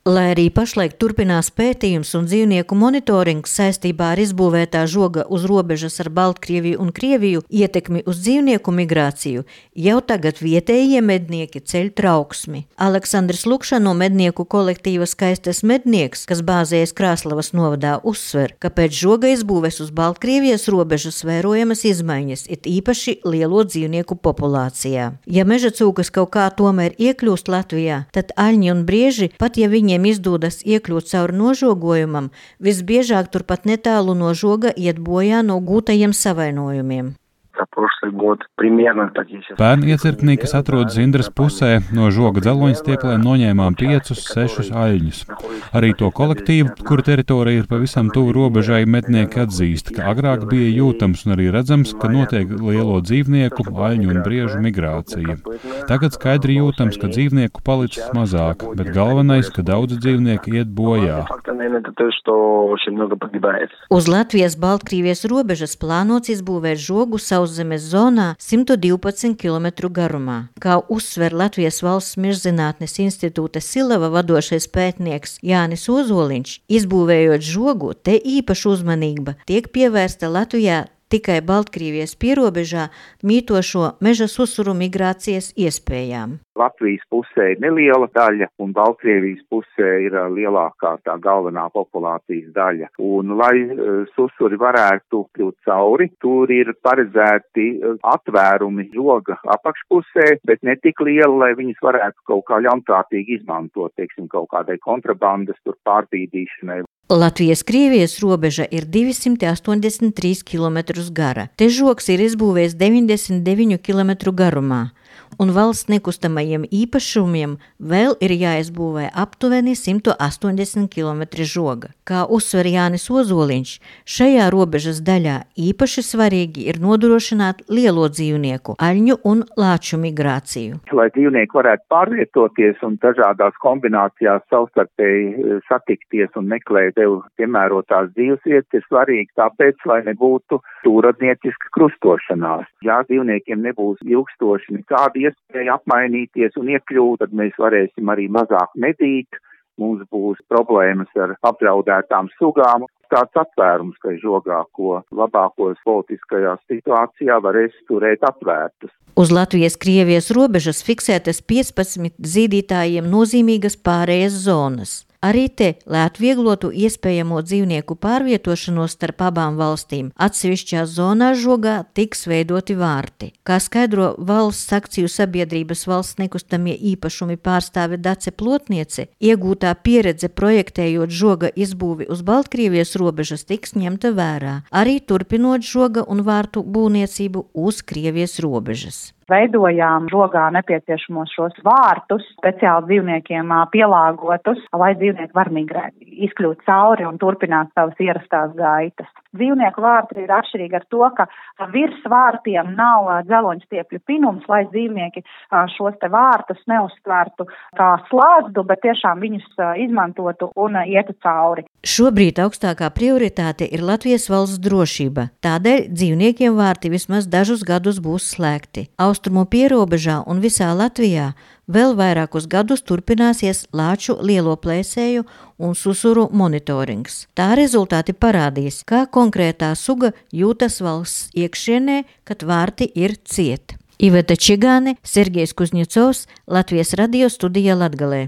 Lai arī pašlaik turpinās pētījums un dzīvnieku monitorings saistībā ar izbūvētā žoga uz robežas ar Baltkrieviju un Krieviju ietekmi uz dzīvnieku migrāciju, jau tagad vietējie mednieki ceļ trauksmi. Aleksandrs Lukša no mednieku kolektīva Skaistais mednieks, kas bāzējas Krāslavas novadā, uzsver, ka pēc žoga izbūves uz Baltkrievijas robežas vērojamas izmaiņas, it īpaši lielo dzīvnieku populācijā. Ja meža cūkas kaut kā tomēr iekļūst Latvijā, tad aļņi un brieži, pat ja viņiem izdodas iekļūt cauri nožogojumam, visbiežāk turpat netālu no žoga iet bojā no gūtajiem savainojumiem. Pērn iecirknī, kas atrodas Indras pusē, no žoga dzeloņstieplēm noņēmām 5-6 aļņus. Arī to kolektīvu, kura teritorija ir pavisam tuvu robežai, mednieki atzīst, ka agrāk bija jūtams un arī redzams, ka notiek lielo dzīvnieku, aļņu un briežu migrācija. Tagad skaidri jūtams, ka dzīvnieku palicis mazāk, bet galvenais, ka daudz dzīvnieku iet bojā. Uz Latvijas-Baltkrievijas robežas plānots izbūvēt žogu sauszemes zonā 112 km garumā. Kā uzsver Latvijas Valsts Mežzinātnes institūta Silava vadošais pētnieks Jānis Ozoliņš, izbūvējot žogu, te īpaša uzmanība tiek pievērsta Latvijā tikai Baltkrievijas pierobežā mītošo meža susuru migrācijas iespējām. Latvijas pusē ir neliela daļa, un Baltkrievijas pusē ir lielākā tā galvenā populācijas daļa. Un, lai susuri varētu kļūt cauri, tur ir paredzēti atvērumi žoga apakšpusē, bet ne tik liela, lai viņas varētu kaut kā ļaunprātīgi izmantot, teiksim, kaut kādai kontrabandas tur pārbīdīšanai. Latvijas-Krievijas robeža ir 283 km gara. Te žogs ir izbūvējis 99 km garumā, un valsts nekustamajiem īpašumiem vēl ir jāizbūvē aptuveni 180 km žoga. Kā uzsver Jānis Ozoliņš, šajā robežas daļā īpaši svarīgi ir nodrošināt lielo dzīvnieku, aļņu un lāču migrāciju. Lai dzīvnieki varētu pārvietoties un dažādās kombinācijās savstarpēji satikties un meklēt tev piemērotās dzīvesvietas, ir svarīgi tāpēc, lai nebūtu stūradnieciska krustošanās. Ja dzīvniekiem nebūs ilgstoši nekāda iespēja apmainīties un iekļūt, tad mēs varēsim arī mazāk medīt, mums būs problēmas ar apdraudētām sugām. Tāds atvērums, ka žogā, ko labākos politiskajā situācijā varēs turēt atvērtus. Uz Latvijas-Krievijas robežas fiksētas 15 zīdītājiem nozīmīgas pārējas zonas. Arī te, lai atvieglotu iespējamo dzīvnieku pārvietošanos starp abām valstīm, atsevišķās zonās žogā tiks veidoti vārti. Kā skaidro valsts akciju sabiedrības valsts nekustamie īpašumi pārstāve Dace Plotniece, iegūtā pieredze projektējot žoga izbūvi uz Baltkrievijas robežas tiks ņemta vērā, arī turpinot žoga un vārtu būvniecību uz Krievijas robežas. Veidojām žogā nepieciešamos šos vārtus, speciāli dzīvniekiem pielāgotus, lai dzīvnieki var migrēt, izkļūt cauri un turpināt savas ierastās gaitas. Dzīvnieku vārti ir atšķirīgi ar to, ka virs vārtiem nav dzeloņstiepļu pinums, lai dzīvnieki šos te vārtus neuztvertu kā slazdu, bet tiešām viņus izmantotu un ietu cauri. Šobrīd augstākā prioritāte ir Latvijas valsts drošība, tādēļ dzīvniekiem vārti vismaz dažus gadus būs slēgti. Austrumu pierobežā un visā Latvijā vēl vairākus gadus turpināsies lāču lielo plēsēju un susuru monitorings. Tā rezultāti parādīs, kā konkrētā suga jūtas valsts iekšienē, kad vārti ir cieti. Iveta Čigāne, Sergejs Kuzņecovs, Latvijas radio studija Latgalē.